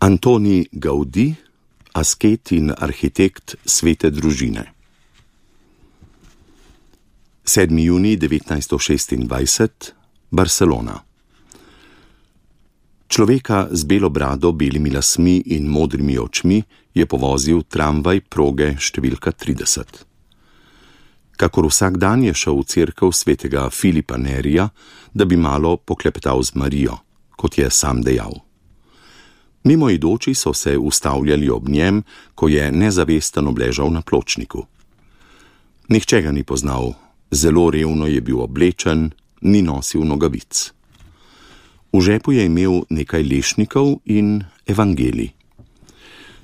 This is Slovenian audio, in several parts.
Antoni Gaudí, asket in arhitekt Svete družine. 7. junij 1926, Barcelona. Človeka z belo brado, belimi lasmi in modrimi očmi je povozil tramvaj proge številka 30. Kakor vsak dan je šel v cerkev svetega Filipa Nerija, da bi malo poklepetal z Marijo, kot je sam dejal. Mimoidoči so se ustavljali ob njem, ko je nezavesten obležal na pločniku. Nihče ga ni poznal, zelo revno je bil oblečen, ni nosil nogavic. V žepu je imel nekaj lešnikov in evangelij.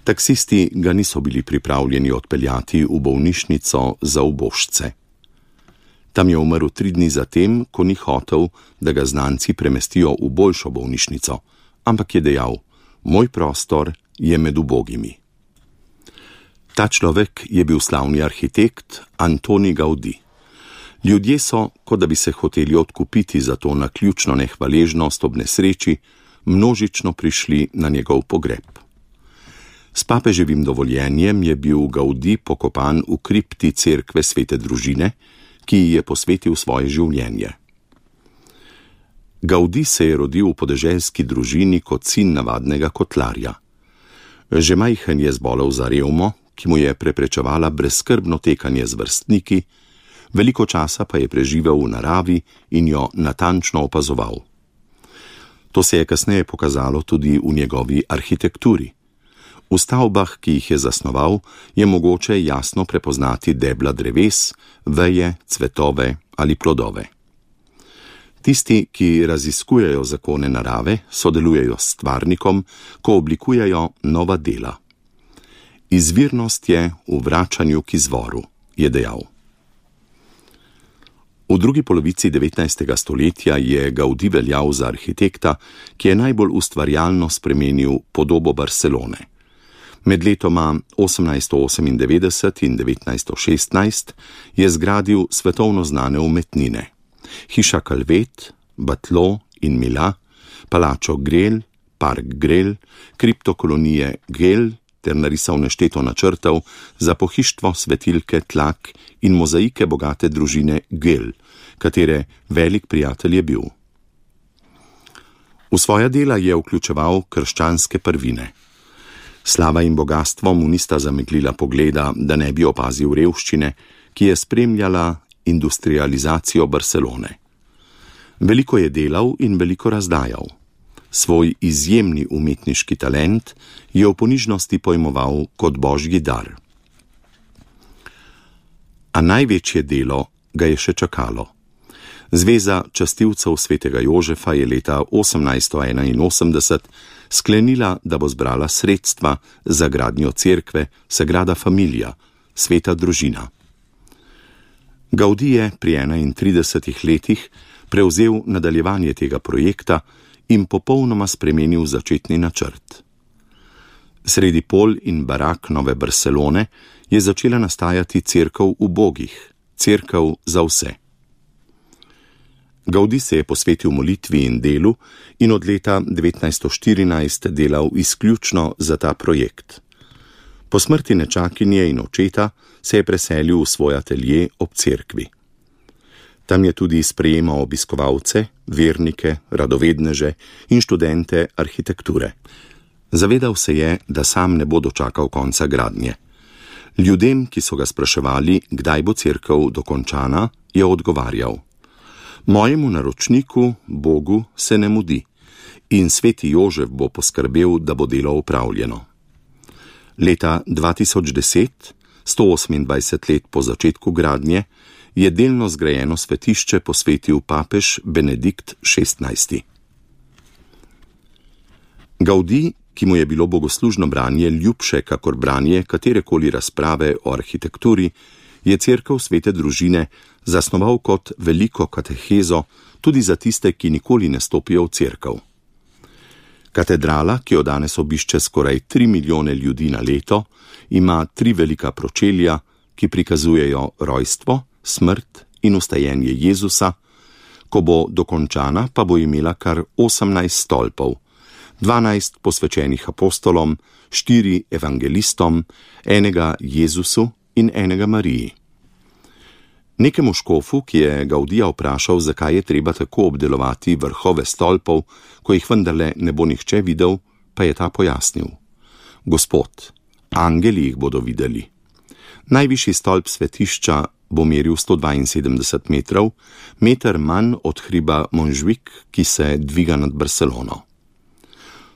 Taksisti ga niso bili pripravljeni odpeljati v bolnišnico za ubožce. Tam je umrl 3 dni zatem, ko ni hotel, da ga znanci premestijo v boljšo bolnišnico, ampak je dejal: moj prostor je med ubogimi. Ta človek je bil slavni arhitekt Antoni Gaudí. Ljudje so, kot da bi se hoteli odkupiti za to naključno nehvaležnost ob nesreči, množično prišli na njegov pogreb. S papeževim dovoljenjem je bil Gaudí pokopan v kripti cerkve Svete družine, ki ji je posvetil svoje življenje. Gaudí se je rodil v podeželski družini kot sin navadnega kotlarja. Že majhen je zbolel za revmo, ki mu je preprečevala brezskrbno tekanje z vrstniki, veliko časa pa je preživel v naravi in jo natančno opazoval. To se je kasneje pokazalo tudi v njegovi arhitekturi. V stavbah, ki jih je zasnoval, je mogoče jasno prepoznati debla dreves, veje, cvetove ali plodove. Tisti, ki raziskujejo zakone narave, sodelujejo s stvarnikom, ko oblikujejo nova dela. Izvirnost je v vračanju k izvoru, je dejal. V drugi polovici 19. stoletja je Gaudí veljal za arhitekta, ki je najbolj ustvarjalno spremenil podobo Barcelone. Med letoma 1898 in 1916 je zgradil svetovno znane umetnine. Hiša Calvet, Batlló in Milà, palačo Güell, park Güell, kriptokolonije Güell ter narisal nešteto načrtov za pohištvo svetilke Tlak in mozaike bogate družine Güell, katere velik prijatelj je bil. V svoja dela je vključeval krščanske prvine. Slava in bogastvo mu nista zameglila pogleda, da ne bi opazil revščine, ki je spremljala industrializacijo Barcelone. Veliko je delal in veliko razdajal. Svoj izjemni umetniški talent je v ponižnosti pojmoval kot božji dar. A največje delo ga je še čakalo. Zveza častilcev svetega Jožefa je leta 1881 sklenila, da bo zbrala sredstva za gradnjo cerkve Sagrada Familia, Sveta družina. Gaudí je pri 31 letih prevzel nadaljevanje tega projekta in popolnoma spremenil začetni načrt. Sredi pol in barak nove Barcelone je začela nastajati cerkev ubogih, cerkev za vse. Gaudí se je posvetil molitvi in delu in od leta 1914 delal izključno za ta projekt. Po smrti nečakinje in očeta se je preselil v svoj atelje ob cerkvi. Tam je tudi sprejemal obiskovalce, vernike, radovedneže in študente arhitekture. Zavedal se je, da sam ne bo dočakal konca gradnje. Ljudem, ki so ga spraševali, kdaj bo cerkev dokončana, je odgovarjal: mojemu naročniku, Bogu, se ne mudi in sveti Jožef bo poskrbel, da bo delo opravljeno. Leta 2010, 128 let po začetku gradnje, je delno zgrajeno svetišče posvetil papež Benedikt XVI. Gaudí, ki mu je bilo bogoslužno branje ljubše kakor branje katerekoli razprave o arhitekturi, je cerkev Svete družine zasnoval kot veliko katehezo tudi za tiste, ki nikoli ne stopijo v cerkev. Katedrala, ki jo danes obišče skoraj 3 milijone ljudi na leto, ima 3 velika pročelja, ki prikazujejo rojstvo, smrt in vstajenje Jezusa, ko bo dokončana, pa bo imela kar 18 stolpov, 12 posvečenih apostolom, 4 evangelistom, enega Jezusu in enega Mariji. Nekemu škofu, ki je Gaudija vprašal, zakaj je treba tako obdelovati vrhove stolpov, ko jih vendarle ne bo nihče videl, pa je ta pojasnil: Gospod, angeli jih bodo videli. Najvišji stolp svetišča bo meril 172 metrov, meter manj od hriba Montjuic, ki se dviga nad Barcelono.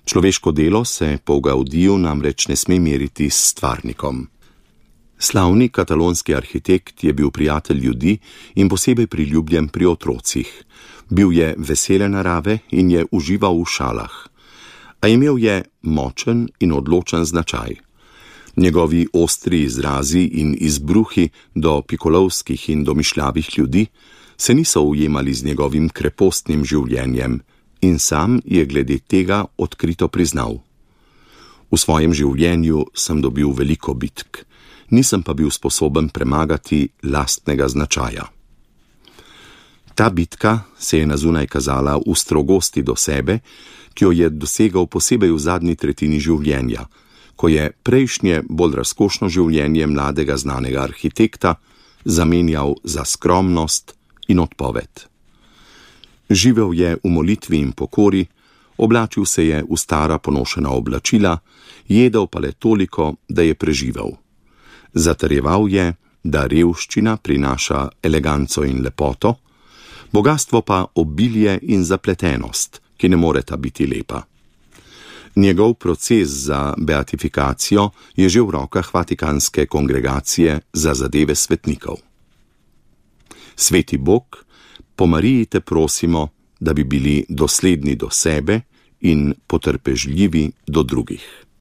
Človeško delo se po Gaudiju namreč ne sme meriti s stvarnikom. Slavni katalonski arhitekt je bil prijatelj ljudi in posebej priljubljen pri otrocih. Bil je vesele narave in je užival v šalah. A imel je močen in odločen značaj. Njegovi ostri izrazi in izbruhi do pikolovskih in domišljavih ljudi se niso ujemali z njegovim krepostnim življenjem in sam je glede tega odkrito priznal: V svojem življenju sem dobil veliko bitk, nisem pa bil sposoben premagati lastnega značaja. Ta bitka se je nazunaj kazala v strogosti do sebe, ki jo je dosegal posebej v zadnji tretjini življenja, ko je prejšnje bolj razkošno življenje mladega znanega arhitekta zamenjal za skromnost in odpoved. Živel je v molitvi in pokori, oblačil se je v stara ponošena oblačila, jedel pa le toliko, da je preživel. Zatrjeval je, da revščina prinaša eleganco in lepoto, bogastvo pa obilje in zapletenost, ki ne moreta biti lepa. Njegov proces za beatifikacijo je že v rokah Vatikanske kongregacije za zadeve svetnikov. Sveti Bog, po Mariji te prosimo, da bi bili dosledni do sebe in potrpežljivi do drugih.